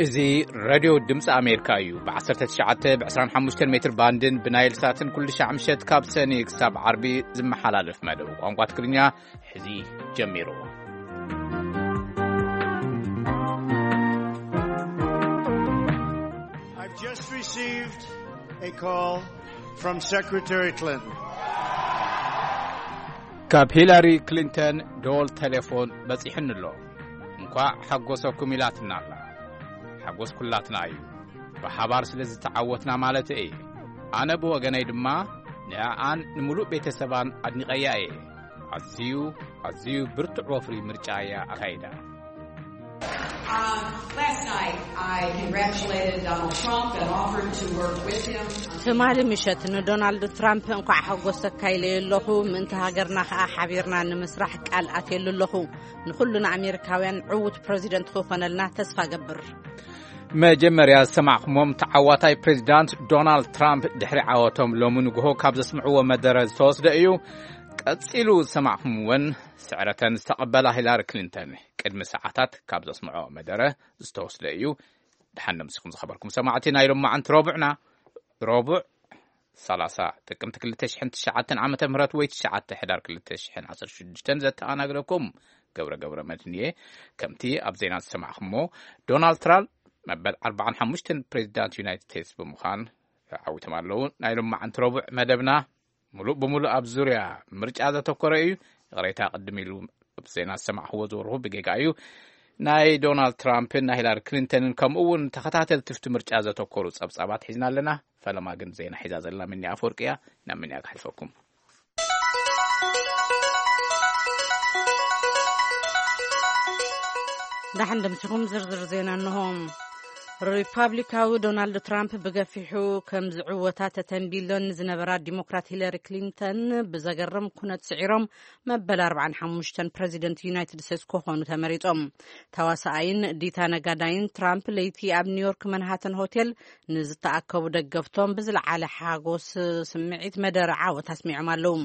እዚ ሬድዮ ድምፂ ኣሜሪካ እዩ። ብ19፣ ብ25 ሜትር ባንድን ብናይል ሳትን ኩሉ ሻዕ ምሸት ካብ ሰኒ ክሳብ ዓርቢ ዝመሓላለፍ መደብ ቋንቋ ትግርኛ ሕዚ ጀሚሩ። I've just received a call from Secretary Clinton. ካብ ሂላሪ ክሊንተን ደወል ቴሌፎን በጺሕኒ ኣሎ። እንኳዕ ሓጎሰኩም ኢላትና ኣላ። ሓጎስ ኩላትና እዩ። ብሓባር ስለ ዝተዓወትና ማለት እየ። ኣነ ብወገነይ ድማ ንኣኣን ንምሉእ ቤተሰባን ኣድኒቐያ እየ። ኣዝዩ፣ ኣዝዩ ብርቱዕ ወፍሪ ምርጫ እያ ኣካይዳ። Um, last night, I congratulated Donald Trump and offered to work with him. ትማሊ ምሸት ንዶናልድ ትራምፕ እንኳዕ ሓጎሰካ ኢለዮ ኣለኹ። ምእንቲ ሃገርና ከኣ ሓቢርና ንምስራሕ ቃል ኣትየሉ ኣለኹ። ንኹሉ ንኣሜሪካውያን ዕዉት ፕረዚደንት ክኾነልና ተስፋ ገብር። መጀመርያ ዝሰማዕኩሞም ተዓዋታይ ፕሬዚዳንት ዶናልድ ትራምፕ ድሕሪ ዓወቶም ሎሚ ንግሆ ካብ ዘስምዕዎ መደረ ዝተወስደ እዩ። ቀጺሉ ዝሰማዕኩም እውን ስዕረተን ዝተቐበላ ሂላሪ ክሊንተን ቅድሚ ሰዓታት ካብ ዘስምዖ መደረ ዝተወስደ እዩ። ደሓን ምስኹም ዝኸበርኩም ሰማዕቲ፣ ናይ ሎማዓንቲ ረቡዕና፣ ረቡዕ 30 ጥቅምቲ 2009 ዓመተ ምህረት ወይ 9 ሕዳር 2016 ዘተኣናግደኩም ገብረ ገብረ መድህን እየ። ከምቲ ኣብ ዜና ዝሰማዕኩሞ፣ ዶናልድ ትራምፕ መበል 45 ፕሬዚዳንት ዩናይትድ ስቴትስ ብምዃን ዓዊቶም ኣለዉ። ናይ ሎማዓንቲ ረቡዕ መደብና ሙሉእ ብሙሉእ ኣብ ዙርያ ምርጫ ዘተኮረ እዩ። ይቕሬታ፣ ቅድም ኢሉ ኣብ ዜና ዝሰማዕክዎ ዝወርኹ ብጌጋ እዩ። ናይ ዶናልድ ትራምፕን ናይ ሂላሪ ክሊንተንን ከምኡ እውን ተኸታተልቲ ፍቲ ምርጫ ዘተኮሩ ጸብጻባት ሒዝና ኣለና። ፈለማ ግን ዜና ሒዛ ዘላ ምኒ ኣፈወርቂ እያ። ናብ ምኒ ኣግሓልፈኩም። ዳሕን ድምስኹም ዝርዝር ዜና እንሆ። ሪፓብሊካዊ ዶናልድ ትራምፕ ብገፊሑ ከም ዝዕወታ ተተንቢለን ዝነበራ ዲሞክራት ሂለሪ ክሊንተን ብዘገርም ኩነት ስዒሮም መበል 45 ፕረዚደንት ዩናይትድ ስቴትስ ክኾኑ ተመሪጾም። ተዋሳኣይን ዲታ ነጋዳይን ትራምፕ ለይቲ ኣብ ኒውዮርክ መንሃተን ሆቴል ንዝተኣከቡ ደገፍቶም ብዝለዓለ ሓጎስ ስምዒት መደረ ዓወት ኣስሚዖም ኣለዉ።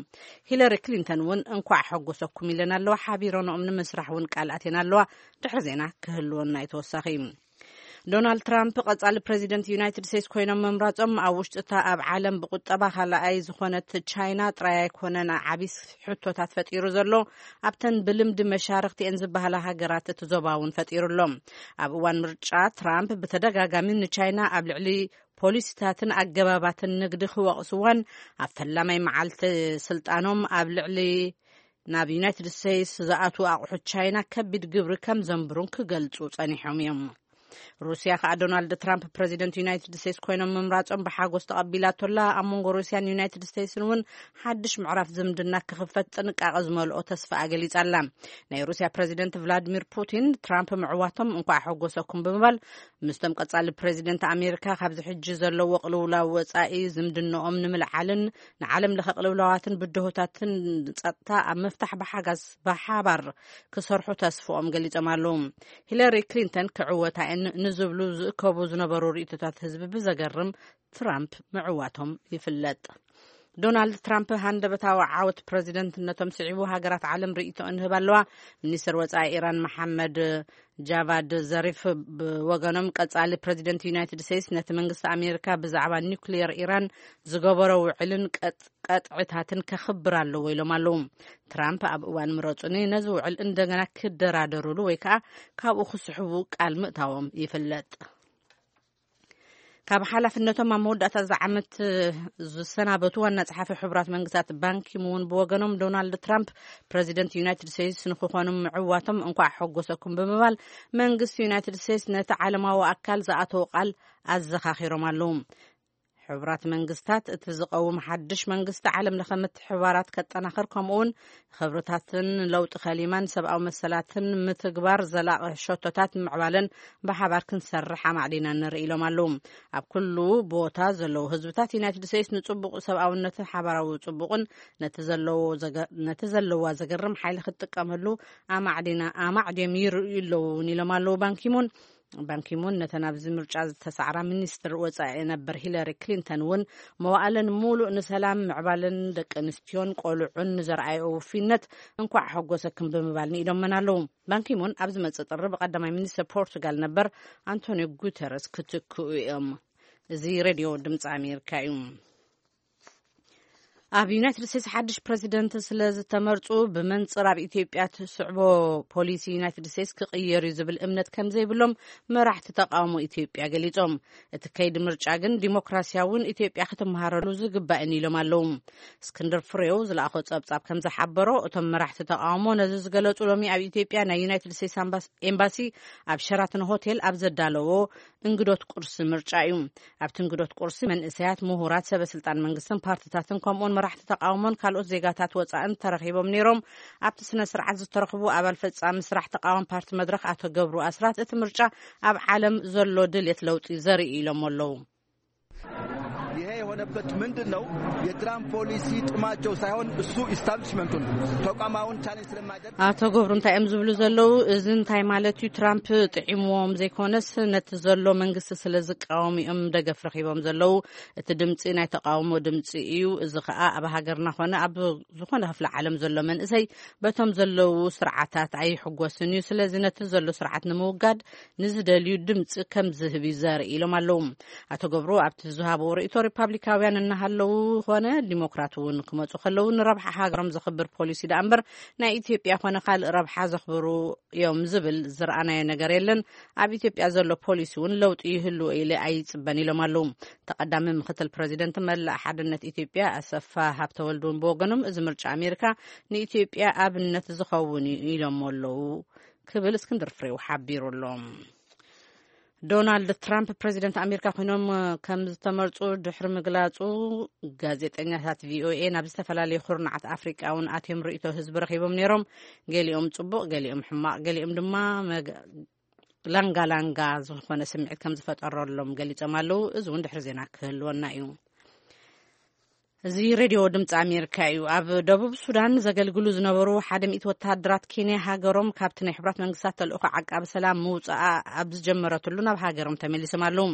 ሂለሪ ክሊንተን እውን እንኳዕ ሓጎሰኩም ኢለን ኣለዋ። ሓቢረንኦም ንምስራሕ እውን ቃል ኣትየን ኣለዋ። ድሕሪ ዜና ክህልወና እዩ ተወሳኺ። ዶናልድ ትራምፕ ቀጻሊ ፕረዚደንት ዩናይትድ ስቴትስ ኮይኖም ምምራጾም ኣብ ውሽጢ እታ ኣብ ዓለም ብቁጠባ ካልኣይ ዝኾነት ቻይና ጥራይ ኣይኮነን ዓቢ ሕቶታት ፈጢሩ ዘሎ፣ ኣብተን ብልምዲ መሻርኽቲ እየን ዝበሃላ ሃገራት እቲ ዞባ እውን ፈጢሩ ኣሎ። ኣብ እዋን ምርጫ ትራምፕ ብተደጋጋሚ ንቻይና ኣብ ልዕሊ ፖሊሲታትን ኣገባባትን ንግዲ ክወቕስዋን ኣብ ፈላማይ መዓልቲ ስልጣኖም ኣብ ልዕሊ ናብ ዩናይትድ ስቴትስ ዝኣትዉ ኣቑሑት ቻይና ከቢድ ግብሪ ከም ዘንብሩን ክገልጹ ጸኒሖም እዮም። ሩስያ ከኣ ዶናልድ ትራምፕ ፕረዚደንት ዩናይትድ ስቴትስ ኮይኖም ምምራጾም ብሓጎስ ተቐቢላቶላ። ኣብ መንጎ ሩስያን ዩናይትድ ስቴትስን እውን ሓድሽ ምዕራፍ ዝምድና ክኽፈት ጥንቃቐ ዝመልኦ ተስፋ ኣገሊጻ ኣላ። ናይ ሩስያ ፕረዚደንት ቭላድሚር ፑቲን ትራምፕ ምዕዋቶም እንኳዕ ሓጎሰኩም ብምባል ምስቶም ቀጻሊ ፕረዚደንት ኣሜሪካ ካብዚ ሕጂ ዘለዎ ቅልውላው ወጻኢ ዝምድንኦም ንምልዓልን ንዓለም ለኸ ቅልውላዋትን ብድሆታትን ጸጥታ ኣብ ምፍታሕ ብሓጋዝ ብሓባር ክሰርሑ ተስፍኦም ገሊጾም ኣለዉ። ሂለሪ ክሊንተን ክዕወታ እየን ንዝብሉ ዝእከቡ ዝነበሩ ርእይቶታት ህዝቢ ብዘገርም ትራምፕ ምዕዋቶም ይፍለጥ። ዶናልድ ትራምፕ ሃንደበታዊ ዓወት ፕረዚደንትነቶም ስዒቡ ሃገራት ዓለም ርእይቶ እንህብ ኣለዋ። ሚኒስትር ወጻኢ ኢራን መሓመድ ጃቫድ ዘሪፍ ብወገኖም ቀጻሊ ፕረዚደንት ዩናይትድ ስቴትስ ነቲ መንግስቲ ኣሜሪካ ብዛዕባ ኒውክሊየር ኢራን ዝገበሮ ውዕልን ቀጥ- ቀጥዕታትን ከኽብር ኣለዎ ኢሎም ኣለዉ። ትራምፕ ኣብ እዋን ምረጹኒ ነዚ ውዕል እንደገና ክደራደሩሉ ወይ ከኣ ካብኡ ክስሕቡ ቃል ምእታዎም ይፍለጥ። ካብ ሓላፍነቶም ኣብ መወዳእታ እዚ ዓመት ዝሰናበቱ ዋና ጸሓፊ ሕቡራት መንግስታት ባንኪሙን ብወገኖም ዶናልድ ትራምፕ ፕረዚደንት ዩናይትድ ስቴትስ ንክኾኑ ምዕዋቶም እንኳዕ ሓጎሰኩም ብምባል መንግስቲ ዩናይትድ ስቴትስ ነቲ ዓለማዊ ኣካል ዝኣተዎ ቃል ኣዘኻኺሮም ኣለዉ። ሕቡራት መንግስታት እቲ ዝቐውም ሓድሽ መንግስቲ ዓለም ለኸ ምትሕብባራት ከጠናኽር ከምኡውን ክብርታትን ለውጢ ከሊማን ሰብኣዊ መሰላትን ምትግባር ዘላቒ ሸቶታት ምዕባለን ብሓባር ክንሰርሕ ኣማዕዲና ንርኢ ኢሎም ኣለዉ። ኣብ ኩሉ ቦታ ዘለዉ ህዝብታት ዩናይትድ ስቴትስ ንጽቡቕ ሰብኣውነትን ሓባራዊ ጽቡቕን ነቲ ዘለዎ ዘገ- ነቲ ዘለዋ ዘገርም ሓይሊ ክትጥቀመሉ ኣማዕዲና ኣማዕድዮም ይርእዩ ኣለዉ እውን ኢሎም ኣለዉ ባንኪሙን። ባንኪሙን ነተን ኣብዚ ምርጫ ዝተሳዕራ ሚኒስትር ወጻኢ ነበር ሂለሪ ክሊንተን እውን መዋእለን ሙሉእ ንሰላም ምዕባለን ደቂ ኣንስትዮን ቆልዑን ንዘርኣየኦ ውፊነት እንኳዕ ሓጎሰክን ብምባል ንኢዶመን ኣለዉ። ባንኪሙን ኣብ ዝመጽእ ጥሪ ብቀዳማይ ሚኒስትር ፖርቱጋል ነበር ኣንቶኒዮ ጉተረስ ክትክኡ እዮም። እዚ ሬድዮ ድምፂ ኣሜሪካ እዩ። ኣብ ዩናይትድ ስቴትስ ሓድሽ ፕረዚደንት ስለ ዝተመርፁ ብመንፅር ኣብ ኢትዮጵያ ትስዕቦ ፖሊሲ ዩናይትድ ስቴትስ ክቕየር እዩ ዝብል እምነት ከም ዘይብሎም መራሕቲ ተቃውሞ ኢትዮጵያ ገሊፆም። እቲ ከይዲ ምርጫ ግን ዲሞክራሲያውን ኢትዮጵያ ክትመሃረሉ ዝግባእን ኢሎም ኣለዉ። እስክንድር ፍሬው ዝለኣኾ ጸብጻብ ከም ዝሓበሮ እቶም መራሕቲ ተቃውሞ ነዚ ዝገለጹ ሎሚ ኣብ ኢትዮጵያ ናይ ዩናይትድ ስቴትስ ኣምባስ- ኤምባሲ ኣብ ሸራተን ሆቴል ኣብ ዘዳለዎ እንግዶት ቁርሲ ምርጫ እዩ። ኣብቲ እንግዶት ቁርሲ መንእሰያት፣ ምሁራት፣ ሰበ ስልጣን መንግስትን ፓርትታትን ከምኡውን መራሕቲ ተቃውሞን ካልኦት ዜጋታት ወጻእን ተረኺቦም ነይሮም። ኣብቲ ስነ ስርዓት ዝተረኽቡ ኣባል ፈጻሚ ስራሕ ተቃዋሚ ፓርቲ መድረኽ ኣቶ ገብሩ ኣስራት እቲ ምርጫ ኣብ ዓለም ዘሎ ድልየት ለውጢ ዘርኢ ኢሎም ኣለዉ። ይሄ የሆነበት ምንድን ነው? የትራምፕ ፖሊሲ ጥማቸው ሳይሆን እሱ ኢስታብሊሽመንቱን ተቋማውን ቻሌንጅ ስለማይደርግ ኣቶ ገብሩ እንታይ እዮም ዝብሉ ዘለዉ? እዚ እንታይ ማለት እዩ? ትራምፕ ጥዒምዎም ዘይኮነስ ነቲ ዘሎ መንግስቲ ስለ ዝቃወሙ እዮም ደገፍ ረኺቦም ዘለዉ። እቲ ድምፂ ናይ ተቃውሞ ድምፂ እዩ። እዚ ከዓ ኣብ ሃገርና ኮነ ኣብ ዝኾነ ክፍለ ዓለም ዘሎ መንእሰይ በቶም ዘለዉ ስርዓታት ኣይሕጎስን እዩ። ስለዚ ነቲ ዘሎ ስርዓት ንምውጋድ ንዝደልዩ ድምፂ ከም ዝህብ እዩ ዘርኢ ኢሎም ኣለዉ። ኣቶ ገብሩ ኣብቲ ዝሃብዎ ርእይቶ ሪፓብሊካውያን እናሃለዉ ኾነ ዲሞክራት እውን ክመፁ ከለዉ ንረብሓ ሃገሮም ዘኽብር ፖሊሲ ደኣ እምበር ናይ ኢትዮጵያ ኮነ ካልእ ረብሓ ዘኽብሩ እዮም ዝብል ዝረኣናዮ ነገር የለን። ኣብ ኢትዮጵያ ዘሎ ፖሊሲ እውን ለውጢ ይህልዎ ኢለ ኣይፅበን ኢሎም ኣለዉ። ተቐዳሚ ምክትል ፕረዚደንት መላእ ሓድነት ኢትዮጵያ ኣሰፋ ሃብተወልድ እውን ብወገኖም እዚ ምርጫ ኣሜሪካ ንኢትዮጵያ ኣብነት ዝኸውን እዩ ኢሎም ኣለዉ ክብል እስክንድር ፍሬው ሓቢሩ ኣሎ። ዶናልድ ትራምፕ ፕረዚደንት ኣሜሪካ ኮይኖም ከም ዝተመርፁ ድሕሪ ምግላፁ ጋዜጠኛታት ቪኦኤ ናብ ዝተፈላለዩ ኩርናዓት ኣፍሪቃ እውን ኣትዮም ርእይቶ ህዝቢ ረኺቦም ነይሮም። ገሊኦም ፅቡቕ፣ ገሊኦም ሕማቕ፣ ገሊኦም ድማ መግ- ላንጋ ላንጋ ዝኾነ ስምዒት ከም ዝፈጠረሎም ገሊፆም ኣለዉ። እዚ እውን ድሕሪ ዜና ክህልወና እዩ። እዚ ሬድዮ ድምፂ ኣሜሪካ እዩ። ኣብ ደቡብ ሱዳን ዘገልግሉ ዝነበሩ ሓደ ሚእቲ ወተሃደራት ኬንያ ሃገሮም ካብቲ ናይ ሕቡራት መንግስታት ተልእኾ ዓቃቢ ሰላም ምውፅኣ ኣብ ዝጀመረትሉ ናብ ሃገሮም ተመሊሶም ኣለዉ።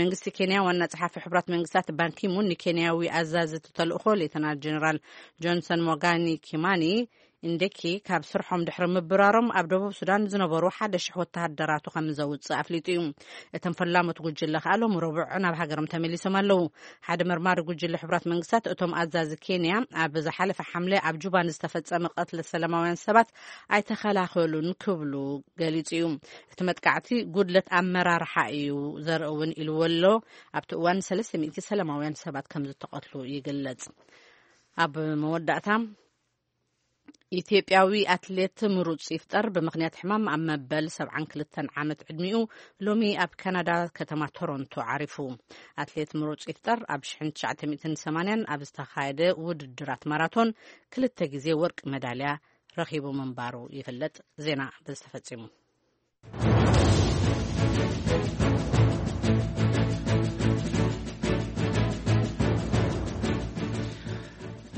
መንግስቲ ኬንያ ዋና ጸሓፊ ሕቡራት መንግስታት ባንኪሙን ንኬንያዊ ኣዛዚ እቲ ተልእኾ ሌተናል ጀነራል ጆንሰን ሞጋኒ ኪማኒ ኢንደኪ ካብ ስርሖም ድሕሪ ምብራሮም ኣብ ደቡብ ሱዳን ዝነበሩ ሓደ ሽሕ ወተሃደራቱ ከም ዘውፅእ ኣፍሊጡ እዩ። እቶም ፈላሞት ጉጅለ ከኣ ሎሚ ረቡዕ ናብ ሃገሮም ተመሊሶም ኣለዉ። ሓደ መርማሪ ጉጅለ ሕቡራት መንግስታት እቶም ኣዛዚ ኬንያ ኣብ ዝሓለፈ ሓምለ ኣብ ጁባ ንዝተፈጸመ ቀትሊ ሰላማውያን ሰባት ኣይተኸላኸሉን ክብሉ ገሊጹ እዩ። እቲ መጥቃዕቲ ጉድለት ኣመራርሓ እዩ ዘርኢ እውን ኢልዎ ኣሎ። ኣብቲ እዋን ሰለስተ ሚእቲ ሰላማውያን ሰባት ከም ዝተቐትሉ ይግለጽ። ኣብ መወዳእታ ኢትዮጵያዊ ኣትሌት ምሩጽ ይፍጠር ብምኽንያት ሕማም ኣብ መበል ሰብዓን ክልተን ዓመት ዕድሚኡ ሎሚ ኣብ ካናዳ ከተማ ቶሮንቶ ዓሪፉ። ኣትሌት ምሩጽ ይፍጠር ኣብ ሽሕን ትሽዓተ ሚእትን ሰማንያን ኣብ ዝተኻየደ ውድድራት ማራቶን ክልተ ግዜ ወርቂ መዳልያ ረኺቡ ምንባሩ ይፍለጥ። ዜና በዚ ተፈጺሙ።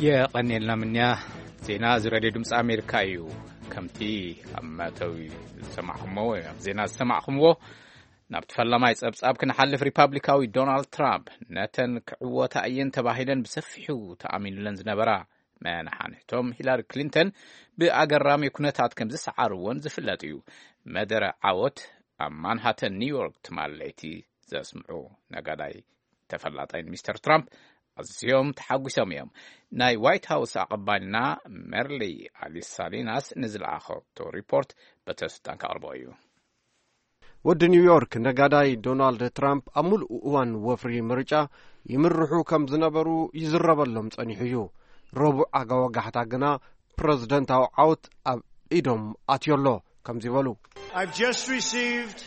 የቐንየልና ምንያ። ዜና እዚ ሬድዮ ድምፂ ኣሜሪካ እዩ። ከምቲ ኣብ መእተዊ ዝሰማዕኹምዎ ወይ ኣብ ዜና ዝሰማዕኹምዎ፣ ናብቲ ፈላማይ ጸብጻብ ክንሓልፍ፣ ሪፓብሊካዊ ዶናልድ ትራምፕ ነተን ክዕወታ እየን ተባሂለን ብሰፊሑ ተኣሚኑለን ዝነበራ መናሓንሕቶም ሂላሪ ክሊንተን ብኣገራሚ ኩነታት ከም ዝሰዓርዎን ዝፍለጥ እዩ። መደረ ዓወት ኣብ ማንሃተን ኒውዮርክ ትማል ለይቲ ዘስምዑ ነጋዳይ ተፈላጣይን ሚስተር ትራምፕ ኣዝዮም ተሓጒሶም እዮም። ናይ ዋይት ሃውስ ኣቐባልና መርሊ ኣሊሳሊናስ ንዝለኣኸቶ ሪፖርት በተስልጣን ከቕርቦ እዩ። ወዲ ኒውዮርክ ነጋዳይ ዶናልድ ትራምፕ ኣብ ሙሉእ እዋን ወፍሪ ምርጫ ይምርሑ ከም ዝነበሩ ይዝረበሎም ጸኒሑ እዩ። ረቡዕ ኣጋወጋሕታ ግና ፕረዚደንታዊ ዓወት ኣብ ኢዶም ኣትዮ ኣሎ ከምዚ በሉ። I've just received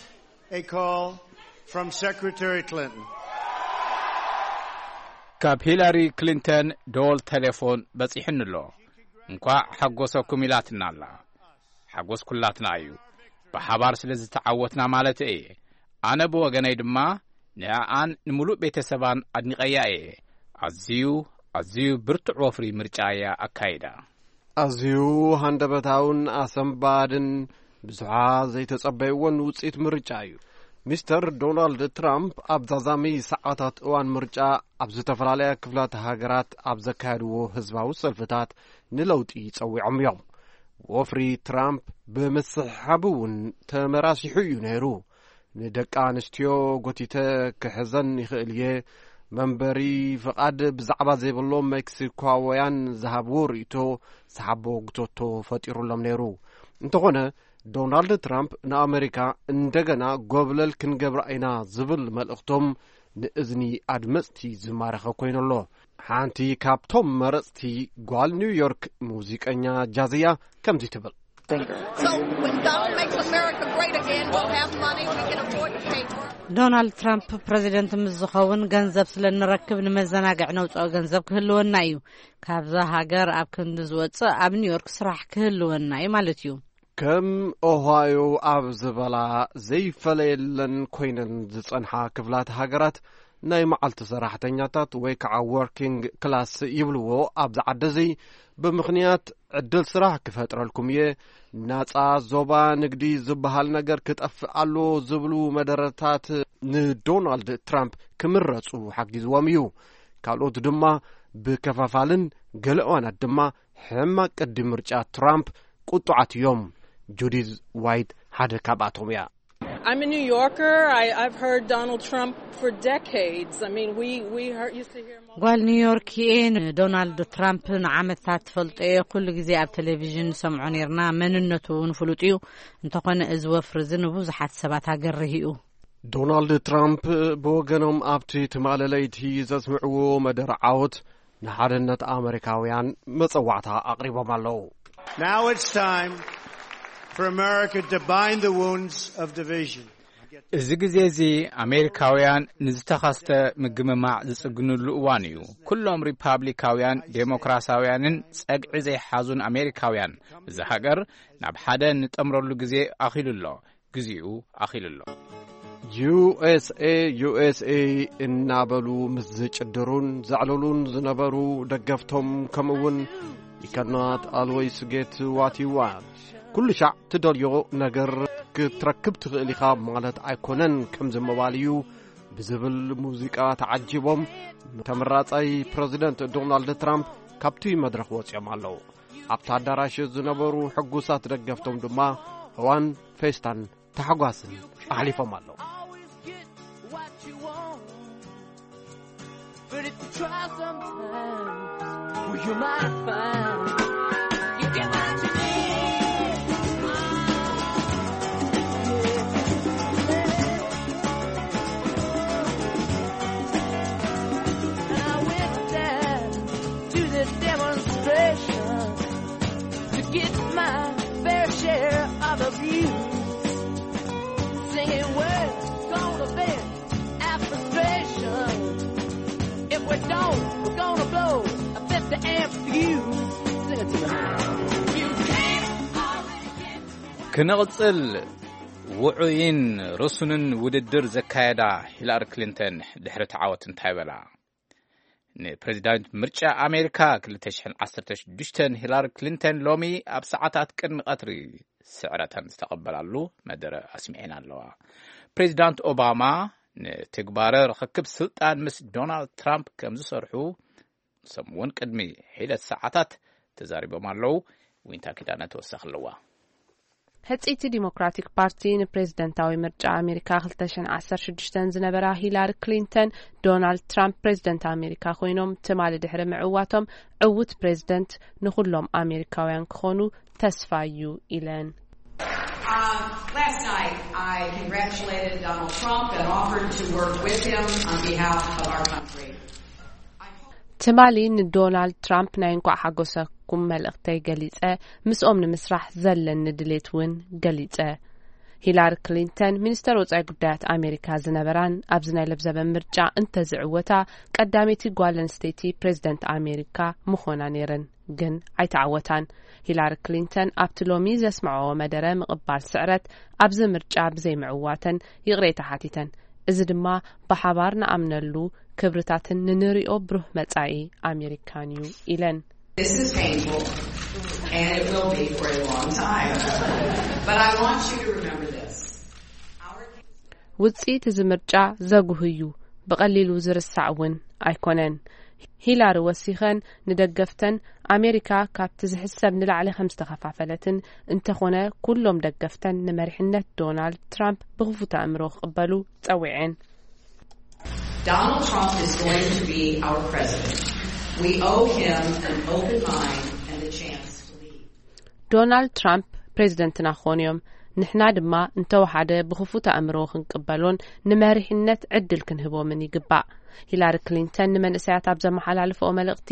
a call from Secretary Clinton. ካብ ሂላሪ ክሊንተን ደወል ቴሌፎን በጺሑኒ ኣሎ። እንኳዕ ሓጎሰኩም ኢላትና ኣላ። ሓጎስ ኩላትና እዩ። ብሓባር ስለ ዝተዓወትና ማለት እየ። ኣነ ብወገነይ ድማ ንኣኣን ንምሉእ ቤተሰባን ኣድኒቐያ እየ። ኣዝዩ ኣዝዩ ብርቱዕ ወፍሪ ምርጫ እያ ኣካይዳ። ኣዝዩ ሃንደበታውን ኣሰንባድን ብዙሓት ዘይተጸበይዎን ውጽኢት ምርጫ እዩ። ሚስተር ዶናልድ ትራምፕ ኣብ ዛዛሚ ሰዓታት እዋን ምርጫ ኣብ ዝተፈላለያ ክፍላት ሃገራት ኣብ ዘካየድዎ ህዝባዊ ሰልፍታት ንለውጢ ጸዊዖም እዮም። ወፍሪ ትራምፕ ብምስሕሓብ እውን ተመራሲሑ እዩ ነይሩ። ንደቂ ኣንስትዮ ጎቲተ ክሕዘን ይኽእል እየ፣ መንበሪ ፍቓድ ብዛዕባ ዘይብሎም ሜክሲኮውያን ዝሃብዎ ርእይቶ ሰሓቦ ግቶቶ ፈጢሩሎም ነይሩ። እንተኾነ፣ ዶናልድ ትራምፕ ንኣመሪካ እንደገና ጎብለል ክንገብራ ኢና ዝብል መልእኽቶም ንእዝኒ ኣድመጽቲ ዝማረኸ ኮይኑ ኣሎ። ሓንቲ ካብቶም መረጽቲ ጓል ኒውዮርክ ሙዚቀኛ ጃዝያ ከምዚ ትብል። So when Donald makes America great again, we'll have money, we can afford to pay for it. ዶናልድ ትራምፕ ፕሬዚደንት ምስ ዝኸውን ገንዘብ ስለ እንረክብ ንመዘናግዕ ነውፅኦ ገንዘብ ክህልወና እዩ። ካብዛ ሃገር ኣብ ክንዲ ዝወፅእ ኣብ ኒውዮርክ ስራሕ ክህልወና እዩ ማለት እዩ። ከም ኦሃዮ ኣብ ዝበላ ዘይፈለየለን ኮይነን ዝጸንሓ ክፍላት ሃገራት፣ ናይ መዓልቲ ሰራሕተኛታት ወይ ከዓ ወርኪንግ ክላስ ይብልዎ ኣብዚ ዓዲ እዚ፣ ብምኽንያት ዕድል ስራሕ ክፈጥረልኩም እየ፣ ናጻ ዞባ ንግዲ ዝበሃል ነገር ክጠፍእ ኣሎ ዝብሉ መደረታት ንዶናልድ ትራምፕ ክምረጹ ሓጊዝዎም እዩ። ካልኦት ድማ ብከፋፋልን ገለ እዋናት ድማ ሕማቅ ቅዲ ምርጫ ትራምፕ ቁጡዓት እዮም። ጁዲዝ ዋይት ሓደ ካብኣቶም እያ። I'm a New Yorker. I, I've heard Donald Trump for decades. I mean, we, we heard, used to hear him all ጓል ኒውዮርክ እየ። ንዶናልድ ትራምፕ ንዓመታት ትፈልጦ እየ። ኩሉ ግዜ ኣብ ቴሌቪዥን ንሰምዖ ነርና። መንነቱ እውን ፍሉጥ እዩ። እንተኾነ እዚ ወፍሪ እዚ ንብዙሓት ሰባት ኣገርህ እዩ። ዶናልድ ትራምፕ ብወገኖም ኣብቲ ትማሊ ለይቲ ዘስምዕዎ መደረ ዓወት ንሓድነት ኣመሪካውያን መጸዋዕታ ኣቕሪቦም ኣለዉ። Now it's time for America to bind the wounds of division. እዚ ግዜ እዚ ኣሜሪካውያን ንዝተኸስተ ምግምማዕ ዝጽግንሉ እዋን እዩ። ኩሎም ሪፓብሊካውያን፣ ዴሞክራሲያውያንን ጸግዒ ዘይሓዙን ኣሜሪካውያን እዛ ሃገር ናብ ሓደ እንጠምረሉ ግዜ ኣኺሉ ኣሎ። ግዜኡ ኣኺሉ ኣሎ። ዩ ኤስ ኤ፣ ዩ ኤስ ኤ እናበሉ ምስ ዝጭድሩን ዘዕልሉን ዝነበሩ ደገፍቶም፣ ከምኡ እውን you cannot always get what you want፣ ኩሉ ሻዕ ትደልዮ ነገር ክትረክብ ትኽእል ኢኻ ማለት ኣይኮነን፣ ከምዚ ምባል እዩ ብዝብል ሙዚቃ ተዓጂቦም ተመራጻይ ፕረዚደንት ዶናልድ ትራምፕ ካብቲ መድረኽ ወጺኦም ኣለዉ። ኣብቲ ኣዳራሽ ዝነበሩ ሕጉሳት ደገፍቶም ድማ እዋን ፌስታን ታሕጓስን ኣሕሊፎም ኣለዉ። Always get what you want. But if you try sometimes, well, you might find you get what you need. And I went down to the demonstration to get my fair share of abuse. Singing words gonna vent our frustration. If we don't, we're gonna blow a fifty amp fuse. Sing it to me. You can't always get ክንቕጽል ውዑይን ርሱንን ውድድር ዘካየዳ ሂላሪ ክሊንተን ድሕሪ እቲ ዓወት እንታይ በላ? ንፕሬዚዳንት ምርጫ ኣሜሪካ ክልተ ሽሕን ዓሰርተ ሽዱሽተን ሂላሪ ክሊንተን ሎሚ ኣብ ሰዓታት ቅድሚ ቀትሪ ስዕረተን ዝተቐበላሉ መደረ ኣስሚዐን ኣለዋ። ፕሬዚዳንት ኦባማ ንትግባረ ርኽክብ ስልጣን ምስ ዶናልድ ትራምፕ ከም ዝሰርሑ ሰሙን ቅድሚ ሒደት ሰዓታት ተዛሪቦም ኣለዉ። ዊንታ ኪዳነ ተወሳኺ ኣለዋ። ህጽይቲ ዲሞክራቲክ ፓርቲ ንፕሬዝደንታዊ ምርጫ ኣሜሪካ ክልተ ሽሕን ዓሰርተ ሽዱሽተን ዝነበራ ሂላሪ ክሊንተን፣ ዶናልድ ትራምፕ ፕሬዝደንት ኣሜሪካ ኮይኖም ትማሊ ድሕሪ ምዕዋቶም፣ ዕዉት ፕሬዝደንት ንኹሎም ኣሜሪካውያን ክኾኑ ተስፋ እዩ ኢለን። Uh, last night, I congratulated Donald Trump and offered to work with him on behalf of our country. ትማሊ ንዶናልድ ትራምፕ ናይ እንኳዕ ሓጎሰኩም መልእኽተይ ገሊጸ፣ ምስኦም ንምስራሕ ዘለኒ ድሌት እውን ገሊጸ። ሂላሪ ክሊንተን ሚኒስተር ወጻኢ ጉዳያት ኣሜሪካ ዝነበራን ኣብዚ ናይ ለብዘበን ምርጫ እንተዝዕወታ ቀዳመይቲ ጓል ኣንስተይቲ ፕሬዝደንት ኣሜሪካ ምኾና ነይረን፣ ግን ኣይተዓወታን። ሂላሪ ክሊንተን ኣብቲ ሎሚ ዘስምዐኦ መደረ ምቕባል ስዕረት ኣብዚ ምርጫ ብዘይምዕዋተን ይቕሬታ ሓቲተን። እዚ ድማ ብሓባር ንኣምነሉ ክብርታትን ንንሪኦ ብሩህ መጻኢ ኣሜሪካን እዩ ኢለን። This is painful, and it will be for a long time. But I want you to remember this. Our ውጽኢት እዚ ምርጫ ዘጉህ እዩ፣ ብቐሊሉ ዝርሳዕ እውን ኣይኮነን። ሂላሪ ወሲኸን ንደገፍተን፣ ኣሜሪካ ካብቲ ዝሕሰብ ንላዕሊ ከም ዝተኸፋፈለትን፣ እንተኾነ ኩሎም ደገፍተን ንመሪሕነት ዶናልድ ትራምፕ ብኽፉት ኣእምሮ ክቕበሉ ጸዊዐን። Donald Trump is going to be our president. We owe him an open mind and the chance to lead. ዶናልድ ትራምፕ ፕሬዝደንትና ክኾኑ እዮም። ንሕና ድማ እንተወሓደ ብኽፉት ኣእምሮ ክንቅበሎን ንመሪሕነት ዕድል ክንህቦምን ይግባእ። ሂላሪ ክሊንተን ንመንእሰያት ኣብ ዘመሓላለፈኦ መልእኽቲ፣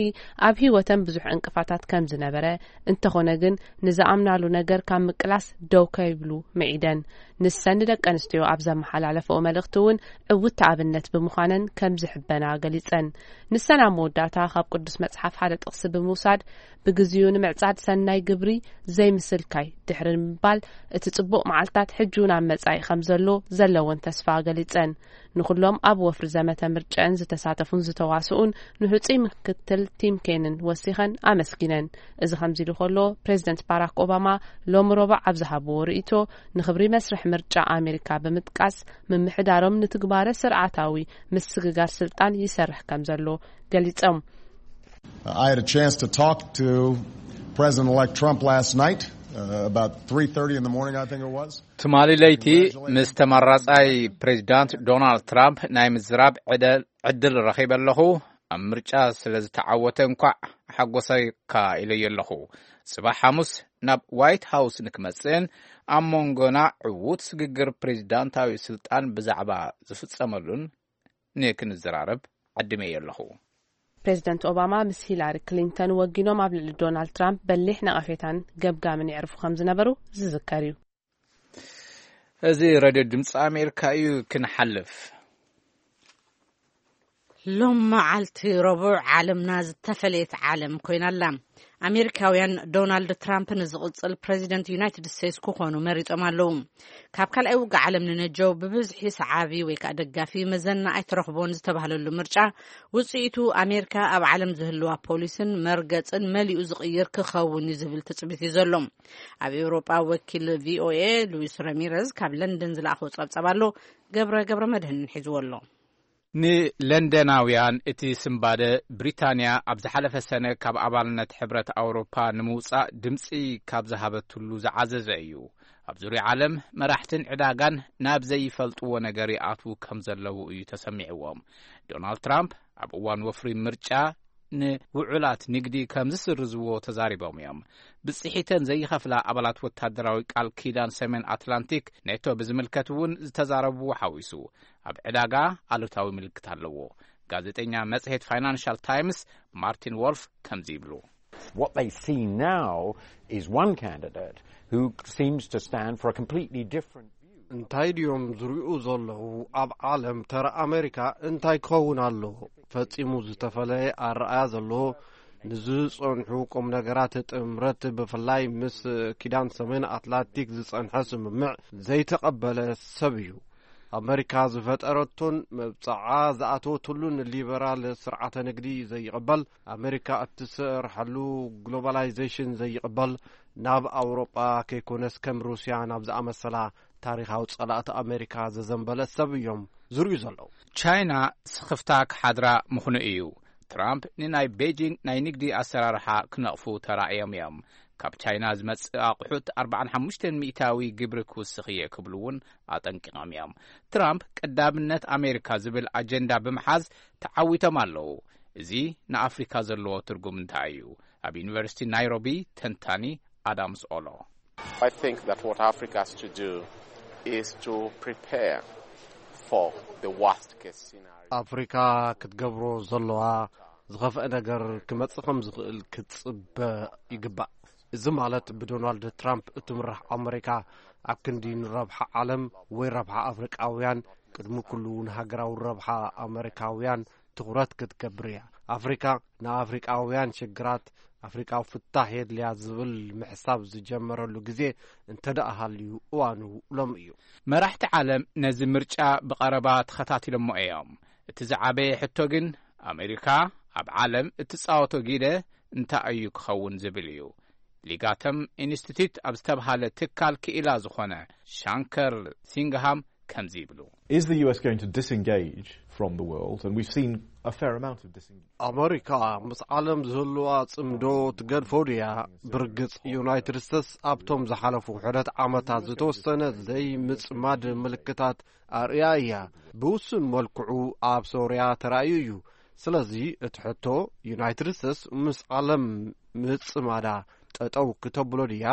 ኣብ ህይወተን ብዙሕ ዕንቅፋታት ከም ዝነበረ፣ እንተኾነ ግን ንዝኣምናሉ ነገር ካብ ምቅላስ ደው ከይብሉ ምዒደን። ንሰን ንደቂ ኣንስትዮ ኣብ ዘመሓላለፈኦ መልእኽቲ እውን ዕውት ኣብነት ብምዃነን ከም ዝሕበና ገሊጸን። ንሰን ኣብ መወዳእታ ካብ ቅዱስ መጽሓፍ ሓደ ጥቕሲ ብምውሳድ፣ ብግዚኡ ንምዕጻድ ሰናይ ግብሪ ዘይምስልካይ ድሕሪ ምባል፣ እቲ ጽቡቕ መዓልታት ሕጂ እውን ኣብ መጻኢ ከም ዘሎ ዘለወን ተስፋ ገሊጸን። ንኹሎም ኣብ ወፍሪ ዘመተ ምርጨን ዝተሳተፉን ዝተዋስኡን ንህጹይ ምክትል ቲም ኬንን ወሲኸን ኣመስጊነን። እዚ ከምዚ ኢሉ ከሎ፣ ፕሬዝደንት ባራክ ኦባማ ሎሚ ረቡዕ ኣብ ዝሃብዎ ርእይቶ፣ ንኽብሪ መስርሕ ምርጫ ኣሜሪካ ብምጥቃስ፣ ምምሕዳሮም ንትግባረ ስርዓታዊ ምስግጋር ስልጣን ይሰርሕ ከም ዘሎ ገሊጾም። I had a chance to talk to President-elect Trump last night, uh, about three thirty in the morning, I think it was. ትማሊ ለይቲ ምስ ተመራጻይ ፕሬዚዳንት ዶናልድ ትራምፕ ናይ ምዝራብ ዕደ- ዕድል ረኺበ ኣለኹ። ኣብ ምርጫ ስለ ዝተዓወተ እንኳዕ ሓጎሰካ ኢለዮ ኣለኹ። ጽባሕ ሓሙስ ናብ ዋይት ሃውስ ንክመጽእን ኣብ መንጎና ዕዉት ስግግር ፕሬዚዳንታዊ ስልጣን ብዛዕባ ዝፍጸመሉን ንክንዘራረብ ዓዲመዮ ኣለኹ። ፕሬዝደንት ኦባማ ምስ ሂላሪ ክሊንተን ወጊኖም ኣብ ልዕሊ ዶናልድ ትራምፕ በሊሕ ነቐፌታን ገብጋምን የዕርፉ ከም ዝነበሩ ዝዝከር እዩ። እዚ ሬድዮ ድምፂ ኣሜሪካ እዩ። ክንሓልፍ ሎም መዓልቲ ረቡዕ ዓለምና ዝተፈለየት ዓለም ኮይና ኣላ። ኣሜሪካውያን ዶናልድ ትራምፕ ንዝቕጽል ፕሬዚደንት ዩናይትድ ስቴትስ ክኾኑ መሪጾም ኣለዉ። ካብ ካልኣይ ውግእ ዓለም ንነጀው ብብዝሒ ሰዓቢ ወይ ከዓ ደጋፊ መዘና ኣይትረኽቦን ዝተባህለሉ ምርጫ ውፅኢቱ ኣሜሪካ ኣብ ዓለም ዝህልዋ ፖሊስን መርገፅን መሊኡ ዝቕይር ክኸውን እዩ ዝብል ትፅቢት እዩ ዘሎ። ኣብ ኤውሮጳ ወኪል ቪኦኤ ሉዊስ ረሚረዝ ካብ ለንደን ዝለኣኸው ጸብጸብ ኣሎ። ገብረ ገብረ መድህን ሒዝዎ ኣሎ። ንለንደናውያን እቲ ስንባደ ብሪታንያ ኣብ ዝሓለፈ ሰነ ካብ ኣባልነት ሕብረት ኣውሮፓ ንምውጻእ ድምጺ ካብ ዝሃበትሉ ዝዓዘዘ እዩ። ኣብ ዙርያ ዓለም መራሕትን ዕዳጋን ናብ ዘይፈልጥዎ ነገር ይኣትዉ ከም ዘለዉ እዩ ተሰሚዕዎም። ዶናልድ ትራምፕ ኣብ እዋን ወፍሪ ምርጫ ንውዑላት ንግዲ ከም ዝስርዝዎ ተዛሪቦም እዮም። ብጽሒተን ዘይኸፍላ ኣባላት ወታደራዊ ቃል ኪዳን ሰሜን ኣትላንቲክ ኔቶ ብዝምልከት እውን ዝተዛረብዎ ሓዊሱ ኣብ ዕዳጋ ኣሉታዊ ምልክት ኣለዎ። ጋዜጠኛ መጽሔት ፋይናንሻል ታይምስ ማርቲን ዎልፍ ከምዚ ይብሉ። What they see now is one candidate who seems to stand for a completely different view. እንታይ ድዮም ዝሪኡ ዘለዉ? ኣብ ዓለም ተራ ኣሜሪካ እንታይ ክኸውን ኣለዎ? ፈጺሙ ዝተፈለየ ኣረኣያ ዘለዎ፣ ንዝጸንሑ ቁም ነገራት ጥምረት፣ ብፍላይ ምስ ኪዳን ሰሜን ኣትላንቲክ ዝጸንሐ ስምምዕ ዘይተቐበለ ሰብ እዩ። ኣመሪካ ዝፈጠረቶን መብጽዓ ዝኣተወትሉን ሊበራል ስርዓተ ንግዲ ዘይቕበል፣ ኣመሪካ እትሰርሐሉ ግሎባላይዜሽን ዘይቕበል፣ ናብ ኣውሮጳ ከይኮነስ ከም ሩስያ ናብ ዝኣመሰላ ታሪኻዊ ጸላእቲ ኣመሪካ ዘዘንበለ ሰብ እዮም ዝርእዩ ዘለዉ። ቻይና ስኽፍታ ክሓድራ ምኽኑ እዩ። ትራምፕ ንናይ ቤጂንግ ናይ ንግዲ ኣሰራርሓ ክነቕፉ ተራእዮም እዮም። ካብ ቻይና ዝመጽእ ኣቑሑት ኣርባዓን ሓሙሽተን ሚእታዊ ግብሪ ክውስኽ እየ ክብሉ እውን ኣጠንቂቖም እዮም። ትራምፕ ቀዳምነት ኣሜሪካ ዝብል ኣጀንዳ ብምሓዝ ተዓዊቶም ኣለዉ። እዚ ንኣፍሪካ ዘለዎ ትርጉም እንታይ እዩ? ኣብ ዩኒቨርሲቲ ናይሮቢ ተንታኒ ኣዳምስ ኦሎ። I think that what Africa has to do is to prepare for the worst case scenario. ኣፍሪካ ክትገብሮ ዘለዋ ዝኸፍአ ነገር ክመጽእ ከም ዝኽእል ክትጽበ ይግባእ። እዚ ማለት ብዶናልድ ትራምፕ እትምራሕ ኣመሪካ ኣብ ክንዲ ንረብሓ ዓለም ወይ ረብሓ ኣፍሪቃውያን ቅድሚ ኩሉ ንሃገራዊ ረብሓ ኣመሪካውያን ትኹረት ክትገብር እያ። ኣፍሪካ ንኣፍሪቃውያን ሽግራት ኣፍሪቃዊ ፍታሕ የድልያ ዝብል ምሕሳብ ዝጀመረሉ ግዜ እንተ ደኣ ሃልዩ እዋኑ ሎም እዩ። መራሕቲ ዓለም ነዚ ምርጫ ብቐረባ ተኸታቲሎሞ እዮም። እቲ ዝዓበየ ሕቶ ግን ኣሜሪካ ኣብ ዓለም እትጻወቶ ጊደ እንታይ እዩ ክኸውን ዝብል እዩ። ሊጋተም ኢንስቲትዩት ኣብ ዝተብሃለ ትካል ክኢላ ዝኾነ ሻንከር ሲንግሃም ከምዚ ይብሉ። Is the U S going to disengage from the world? And we've seen a fair amount of disengagement. ኣመሪካ ምስ ዓለም ዝህልዋ ጽምዶ ትገድፎ ድያ? ብርግጽ፣ ዩናይትድ ስቴትስ ኣብቶም ዝሓለፉ ሕደት ዓመታት ዝተወሰነ ዘይምጽማድ ምልክታት ኣርእያ እያ። ብውሱን መልክዑ ኣብ ሶርያ ተራእዩ እዩ። ስለዚ እቲ ሕቶ፣ ዩናይትድ ስቴትስ ምስ ዓለም ምጽማዳ ጠጠው ክተብሎ ድያ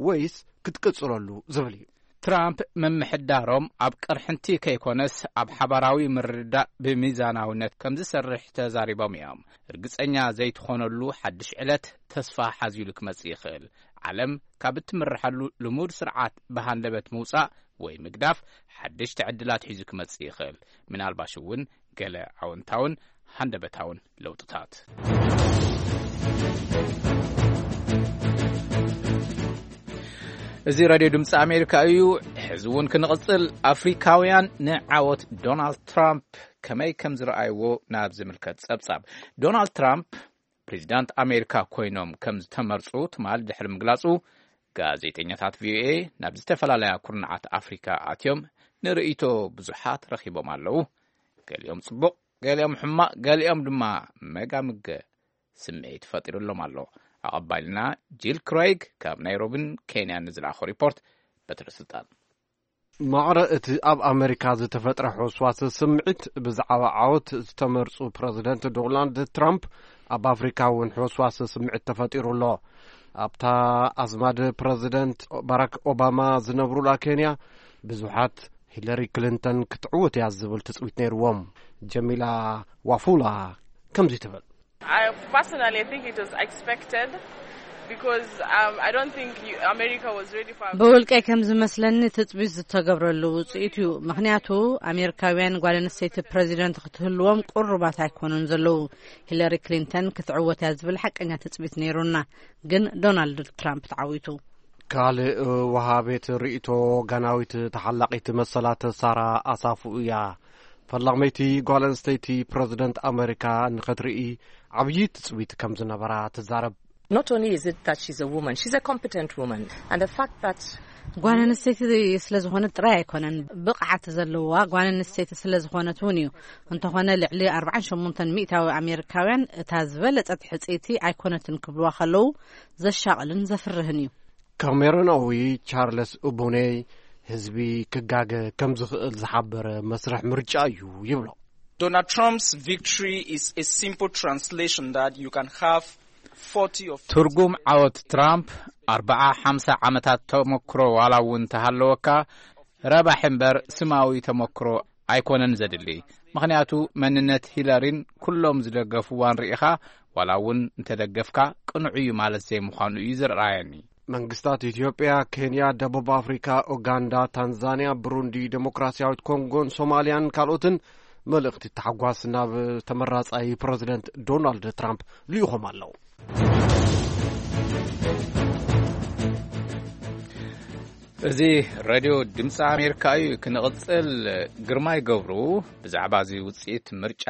ወይስ ክትቅጽለሉ ዝብል እዩ። ትራምፕ ምምሕዳሮም ኣብ ቅርሕንቲ ከይኮነስ፣ ኣብ ሓባራዊ ምርድዳእ ብሚዛናውነት ከም ዝሰርሕ ተዛሪቦም እዮም። ርግጸኛ ዘይትኾነሉ ሓድሽ ዕለት ተስፋ ሓዚሉ ክመጽእ ይኽእል። ዓለም ካብ እትምርሓሉ ልሙድ ስርዓት ብሃንደበት ምውጻእ ወይ ምግዳፍ ሓደሽቲ ዕድላት ሒዙ ክመጽእ ይኽእል። ምናልባሽ እውን ገለ ኣወንታውን ሃንደበታውን ለውጥታት። እዚ ራድዮ ድምፂ ኣሜሪካ እዩ። ሕዚ እውን ክንቕፅል፣ ኣፍሪካውያን ንዓወት ዶናልድ ትራምፕ ከመይ ከም ዝረኣይዎ ናብ ዝምልከት ጸብጻብ። ዶናልድ ትራምፕ ፕሬዚዳንት ኣሜሪካ ኮይኖም ከም ዝተመርፁ ትማል ድሕሪ ምግላፁ፣ ጋዜጠኛታት ቪኦኤ ናብ ዝተፈላለያ ኩርናዓት ኣፍሪካ ኣትዮም ንርእይቶ ብዙሓት ረኺቦም ኣለዉ። ገሊኦም ጽቡቕ፣ ገሊኦም ሕማቕ፣ ገሊኦም ድማ መጋምገ ስምዒት ፈጢሩሎም ኣሎ። ኣቐባይልና ጂል ክሬግ ካብ ናይሮብን ኬንያን ንዝለኣኾ ሪፖርት። በትረ ስልጣን። ማዕረ እቲ ኣብ ኣመሪካ ዝተፈጥረ ሕውስዋስ ስምዒት ብዛዕባ ዓወት ዝተመርጹ ፕረዚደንት ዶናልድ ትራምፕ፣ ኣብ ኣፍሪካ እውን ሕውስዋስ ስምዒት ተፈጢሩ ኣሎ። ኣብታ ኣዝማድ ፕረዚደንት ባራክ ኦባማ ዝነብሩላ ኬንያ፣ ብዙሓት ሂለሪ ክሊንተን ክትዕውት እያ ዝብል ትጽቢት ነይርዎም። ጀሚላ ዋፉላ ከምዚ ትብል። I personally, I think it was expected because um, I don't think you, America was ready for. ብውልቀይ ከም ዝመስለኒ ትጽቢት ዝተገብረሉ ውጽኢት እዩ። ምኽንያቱ፣ ኣሜሪካውያን ጓል ኣንስተይቲ ፕረዚደንት ክትህልዎም ቁሩባት ኣይኮኑን ዘለዉ። ሂለሪ ክሊንተን ክትዕወት እያ ዝብል ሓቀኛ ትጽቢት ነይሩና፣ ግን ዶናልድ ትራምፕ ተዓዊቱ። ካልእ ወሃቤት ርእይቶ፣ ጋናዊት ተሓላቒት መሰላት ሳራ ኣሳፉ እያ። ፈላመይቲ ጓል ኣንስተይቲ ፕረዚደንት ኣመሪካ ንኸትርኢ ዓብዪ ትጽቢት ከም ዝነበራ ትዛረብ። Not only is it that she's a woman, she's a competent woman. And the fact that ጓል ኣንስተይቲ ስለ ዝኾነት ጥራይ ኣይኮነን፣ ብቕዓት ዘለዋ ጓል ኣንስተይቲ ስለ ዝኾነት እውን እዩ። እንተኾነ፣ ልዕሊ ኣርባዓን ሸሞንተን ሚእታዊ ኣሜሪካውያን እታ ዝበለጸት ሕጽይቲ ኣይኮነትን ክብልዋ ከለዉ ዘሻቕልን ዘፍርህን እዩ። ካሜሮናዊ ቻርለስ ኡቡኔ፣ ህዝቢ ክጋገ ከም ዝኽእል ዝሓበረ መስርሕ ምርጫ እዩ ይብሎ። Donald Trump's victory is a simple translation that you can have forty of ትርጉም ዓወት ትራምፕ፣ ኣርባዓ ሓምሳ ዓመታት ተመክሮ ዋላ እውን እንተሃለወካ፣ ረባሒ እምበር ስማዊ ተመክሮ ኣይኮነን ዘድሊ። ምኽንያቱ፣ መንነት ሂለሪን ኩሎም ዝደገፍዋን ርኢኻ፣ ዋላ እውን እንተደገፍካ፣ ቅኑዕ እዩ ማለት ዘይምዃኑ እዩ ዝረኣየኒ። መንግስታት ኢትዮጵያ፣ ኬንያ፣ ደቡብ ኣፍሪካ፣ ኡጋንዳ፣ ታንዛንያ፣ ብሩንዲ፣ ዴሞክራሲያዊት ኮንጎን ሶማልያን ካልኦትን መልእኽቲ ታሕጓስ ናብ ተመራጻይ ፕረዚደንት ዶናልድ ትራምፕ ልኢኾም ኣለዉ። እዚ ሬድዮ ድምፂ ኣሜሪካ እዩ። ክንቕፅል፣ ግርማይ ገብሩ ብዛዕባ እዚ ውፅኢት ምርጫ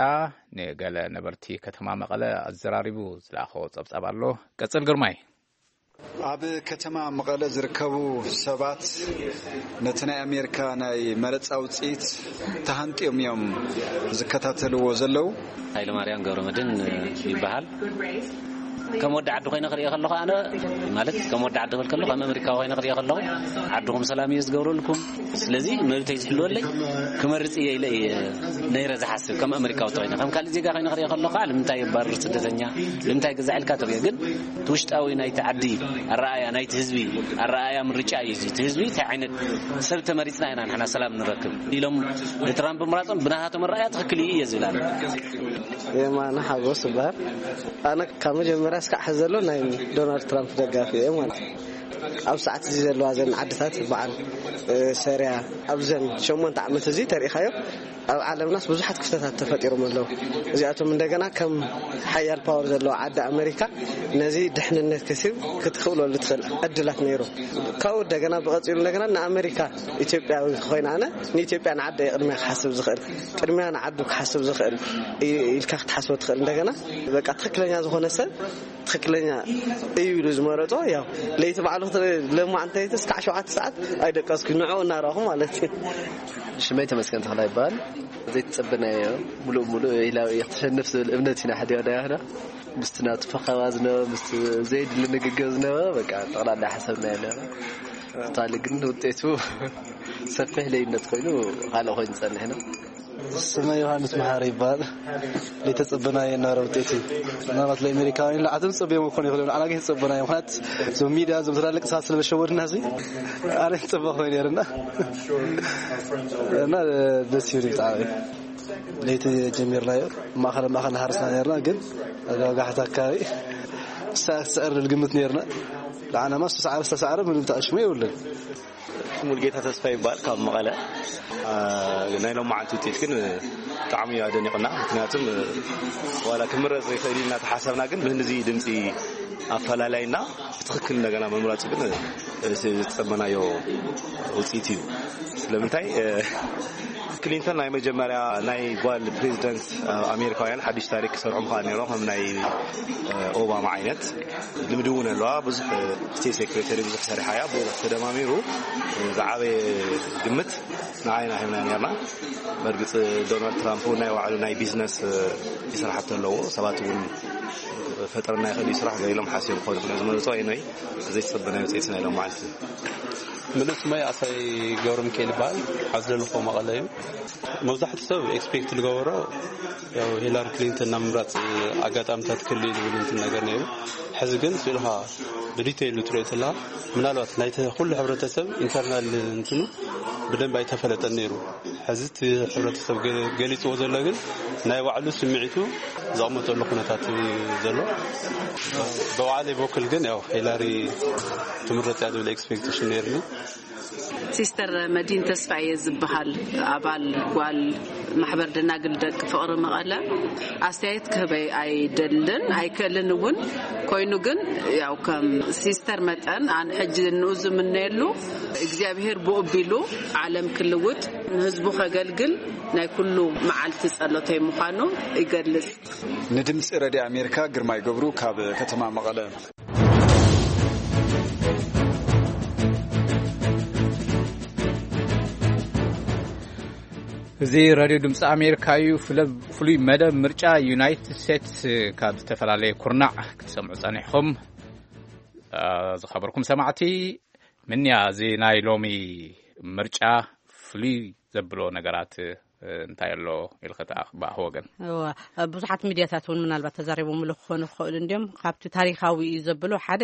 ንገለ ነበርቲ ከተማ መቐለ ኣዘራሪቡ ዝለኣኸዎ ጸብጻብ ኣሎ። ቀጽል ግርማይ። ኣብ ከተማ መቐለ ዝርከቡ ሰባት ነቲ ናይ ኣሜሪካ ናይ መረጻ ውጽኢት ተሃንጥዮም እዮም ዝከታተልዎ ዘለዉ። ሃይለማርያም ገብረመድህን ይበሃል። ከም ወዲ ዓዲ ኮይነ ክሪኦ ከለኹ፣ ኣነ ማለት ከም ወዲ ዓዲ ክብል ከለኹ፣ ከም ኣመሪካዊ ኮይነ ክሪኦ ከለኹ፣ ዓድኹም ሰላም እዩ ዝገብረልኩም። ስለዚ መብተይ ዝሕልወለይ ክመርጽ እየ ኢለ እየ ነይረ ዝሓስብ። ከም ኣመሪካዊ ተኮይነ፣ ከም ካልእ ዜጋ ኮይነ ክሪኦ ከለኹ፣ ንምንታይ የባርር ስደተኛ፣ ንምንታይ ገዛ ኢልካ ትሪኦ። ግን እቲ ውሽጣዊ ናይቲ ዓዲ ኣረኣእያ፣ ናይቲ ህዝቢ ኣረኣእያ ምርጫ እዩ። እዚ እቲ ህዝቢ እንታይ ዓይነት ሰብ ተመሪጽና ኢና ንሕና ሰላም ንረክብ ኢሎም ንትራምፕ ምራጾም ብናታቶም ኣረኣእያ ትኽክል እዩ እየ ዝብል ኣነ። የማነ ሓጎስ ይበሃል። ኣነ ካብ መጀመርያ እስካዕ ሕዚ ዘሎ ናይ ዶናልድ ትራምፕ ደጋፊ እየ ማለት እዩ። ኣብ ሰዓት እዚ ዘለዋ ዘን ዓድታት በዓል፣ እ፣ ሰሪያ ኣብዘን ሸሞንተ ዓመት እዚ ተሪኢኻዮ ኣብ ዓለምናስ ብዙሓት ክፍተታት ተፈጢሮም ኣለዉ። እዚኣቶም እንደገና ከም ሓያል ፓወር ዘለዋ ዓዲ ኣመሪካ ነዚ ድሕንነት ከሲብ ክትኽእለሉ ትኽእል ዕድላት ነይሩ። ካብኡ እንደገና ብቐጺሉ እንደገና ንኣመሪካ ኢትዮጵያዊ ኮይነ ኣነ ንኢትዮጵያ ንዓደ ቅድሚያ ክሓስብ ዝኽእል፣ ቅድሚያ ንዓዱ ክሓስብ ዝኽእል ኢ-፣ ኢልካ ክትሓስቦ ትኽእል። እንደገና በቃ ትኽክለኛ ዝኾነ ሰብ ትኽክለኛ እዩ ኢሉ ዝመረጾ። ያው ለይቲ ባዕሉ ክትርኢ፣ ለማዕንቲ ለይቲ እስካዕ ሸውዓተ ሰዓት ኣይደቀስኩ፣ ንዕኡ እናረኹ ማለት እዩ። ሽመይ ተመስገን ተኽላ ይበሃል። ዘይተጸበናዮ፣ ሙሉእ ሙሉእ ኢላ እየ ክትሸንፍ ዝብል እምነት ኢና ሓዲርና ያህና። ምስቲ ናቱ ፈኸባ ዝነበረ፣ ምስቲ ዘይድሊ ንግግር ዝነበረ፣ በቃ፣ ጠቕላላ ሓሰብና የለና። ቶታሊ ግን ውጤቱ ሰፊሕ ለይነት ኮይኑ፣ ካልእ ኮይኑ ጸኒሕና። ስመ ዮሃንስ መሓሪ ይበሃል። ዘይተጸበናዮ የናረ ውጤት እዩ። ምናልባት ለኣሜሪካውያን ላዓቶም ጸብዮም ክኾኑ ይኽእሉ እዮም። ኣና ግን ተጸበናዮ። ምኽንያት እዞም ሚድያ፣ እዞም ትላልቅ ሰባት ስለ ዝሸወድና፣ እዚ ኣነ ዝጸበ ኮይኑ ነርና። እና ደስ ይብል ብጣዕሚ። ለይቲ ጀሚርናዮ። ማእኸል ማእኸል ሃርስና ነርና፣ ግን ኣጋጋሕታ ኣካባቢ ሳ-፣ ስዕር ዝብል ግምት ነርና። ለዓናማ ዝተሳዕረ ዝተሳዕረ ምንም ተኣሽሙ የብሉን። ሙልጌታ ተስፋ ይበሃል፣ ካብ መቐለ። አ፣ ናይ ሎማዓንቲ ውፅኢት ግን ብጣዕሚ እዩ ኣደኒቕና። ምክንያቱም ዋላ ክምረፅ ይኽእል እዩ እናተሓሰብና፣ ግን ብህንዚ ድምፂ ኣፈላላይና ብትኽክል እንደገና ምምራፁ ግን ዝተፀበናዮ ውፅኢት እዩ። ስለምንታይ፣ እ፣ ክሊንተን ናይ መጀመርያ ናይ ጓል ፕሬዚደንት፣ እ፣ ኣሜሪካውያን ሓድሽ ታሪክ ክሰርሑ ምኽኣል ነይሮም፣ ከም ናይ፣ እ፣ ኦባማ ዓይነት። ልምዲ እውን ኣለዋ። ብዙሕ፣ እ፣ ስቴት ሴክሬተሪ ብዙሕ ሰሪሓ እያ። ብኡ ተደማሚሩ፣ እ፣ ዝዓበየ ግምት ንዓይና ሂብና ነርና። በርግፅ ዶናልድ ትራምፕ እውን ናይ ባዕሉ ናይ ቢዝነስ፣ እ፣ ይስራሕቲ ኣለዎ። ሰባት እውን ፈጠረና ይኽእል እዩ ስራሕ ገለ ኢሎም ሓሲቦም ክኾኑ ስለ ዝመረፁ ኣይኖይ ዘይተፀበናዮ ውፅኢት ናይ ሎም መዓልቲ። ምሉእ ስመይ ኣሳይ ገብረ ሚካኤል ይበሃል። ዓዲ ዘለኹ መቐለ እዩ። መብዛሕትኡ ሰብ ኤክስፔክት ዝገበሮ ያው ሂላሪ ክሊንተን ናብ ምምራፅ ኣጋጣሚታት ክህሉ እዩ ዝብል እንትን ነገር ነይሩ። ሕዚ ግን ስኢልኻ ብዲቴይሉ ትሪኦ ተለኻ ምናልባት ናይቲ ኩሉ ሕብረተሰብ ኢንተርናል እንትኑ ብደንብ ኣይተፈለጠን ነይሩ። ሕዚ እቲ ሕብረተሰብ ገ-፣ ገሊፅዎ ዘሎ ግን ናይ ባዕሉ ስምዒቱ ዘቕመጠሉ ኩነታት እዩ ዘሎ። ብባዕለይ በኩል ግን ያው ሂላሪ ትምረፅ እያ ዝብል ኤክስፔክቴሽን ነይርኒ። ሲስተር መዲን ተስፋዬ ዝበሃል ኣባል ጓል ማሕበር ደናግል ደቂ ፍቕሪ መቐለ ኣስተያየት ክህበይ ኣይደልን ኣይክእልን እውን። ኮይኑ ግን ያው ከም ሲስተር መጠን ኣነ ሕጂ ንኡ ዝምነየሉ እግዚኣብሔር ብኡ ኣቢሉ ዓለም ክልውጥ ንህዝቡ ከገልግል ናይ ኩሉ መዓልቲ ጸሎተይ ምዃኑ ይገልጽ። ንድምፂ ረድዮ ኣሜሪካ ግርማይ ገብሩ ካብ ከተማ መቐለ። እዚ ራድዮ ድምፂ ኣሜሪካ እዩ። ፍለ-፣ ፍሉይ መደብ ምርጫ ዩናይትድ ስቴትስ ካብ ዝተፈላለየ ኩርናዕ ክትሰምዑ ጸኒሕኹም። አ፣ ዝኸበርኩም ሰማዕቲ፣ ምንያ እዚ ናይ ሎሚ ምርጫ ፍሉይ ዘብሎ ነገራት፣ እ፣ እንታይ ኣሎ ኢልኺ ትኣኽ-፣ ብኣኽ ወገን? እዋ፣ ብዙሓት ሚድያታት እውን ምናልባት ተዛሪቦምሉ ክኾኑ ክኽእሉ እንድዮም። ካብቲ ታሪኻዊ እዩ ዘብሎ ሓደ፣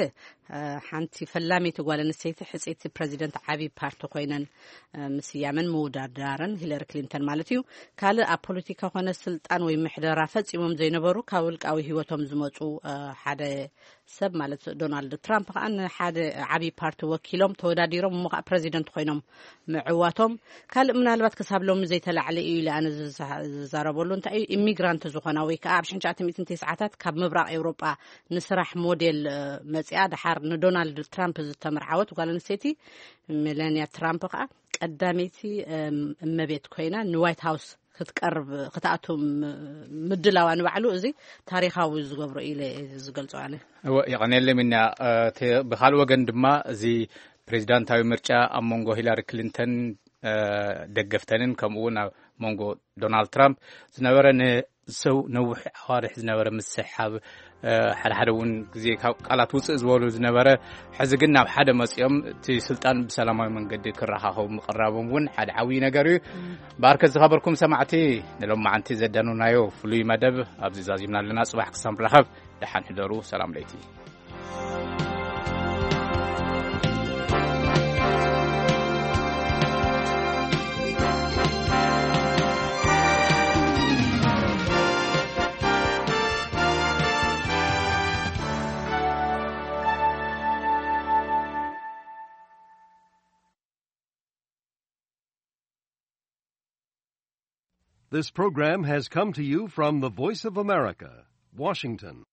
እ፣ ሓንቲ ፈላመይቲ ጓል ኣንስተይቲ ሕጽይቲ ፕረዚደንት ዓቢ ፓርቲ ኮይነን፣ እ፣ ምስያመን ምውዳዳረን ሂለሪ ክሊንተን ማለት እዩ። ካልእ ኣብ ፖለቲካ ኮነ ስልጣን ወይ ምሕደራ ፈጺሞም ዘይነበሩ ካብ ውልቃዊ ህይወቶም ዝመጹ፣ እ፣ ሓደ ሰብ ማለት ዶናልድ ትራምፕ ከኣ ንሓደ ዓቢ ፓርቲ ወኪሎም ተወዳዲሮም እሞ ከኣ ፕረዚደንት ኮይኖም ምዕዋቶም ካልእ ምናልባት ክሳብ ሎሚ ዘይተላዕለ እዩ ኢለ ኣነ ዝዛ-፣ ዝዛረበሉ እንታይ እዩ ኢሚግራንት ዝኾና ወይ ከኣ ኣብ ሽሕን ትሽዓተ ሚእትን ተስዓታት ካብ ምብራቕ ኤውሮጳ ንስራሕ ሞዴል፣ እ፣ መጺኣ ደሓር ንዶናልድ ትራምፕ ዝተመርዓወት ጓል ኣንስተይቲ ሜላንያ ትራምፕ ከኣ ቀዳመይቲ፣ እም፣ እመቤት ኮይና ንዋይት ሃውስ ክትቀርብ፣ ክትኣቱ ም-፣ ምድላዋ ንባዕሉ እዚ ታሪኻዊ ዝገብሮ ኢለ ዝገልጾ ኣነ። እወ፣ የቐንየለይ ሚና። እ፣ ተ-፣ ብኻልእ ወገን ድማ እዚ ፕሬዚዳንታዊ ምርጫ ኣብ መንጎ ሂላሪ ክሊንተን፣ እ፣ ደገፍተንን ከምኡ እውን ኣብ መንጎ ዶናልድ ትራምፕ ዝነበረ ንሰው ነዊሕ ኣዋርሕ ዝነበረ ምስሕሓብ፣ እ፣ ሓደ ሓደ እውን ግዜ ካብ ቃላት ውፅእ ዝበሉ ዝነበረ፣ ሕዚ ግን ናብ ሓደ መፂኦም እቲ ስልጣን ብሰላማዊ መንገዲ ክረኻኸቡ ምቕራቦም እውን ሓደ ዓብዪ ነገር እዩ። ብኣርከ ዝኸበርኩም ሰማዕቲ፣ ንሎማዓንቲ ዘዳነናዮ ፍሉይ መደብ ኣብዚ ዛዚምና ኣለና። ጽባሕ ክሳብ ንራኸብ ደሓን ሕደሩ። ሰላም ለይቲ። This program has come to you from the Voice of America, Washington.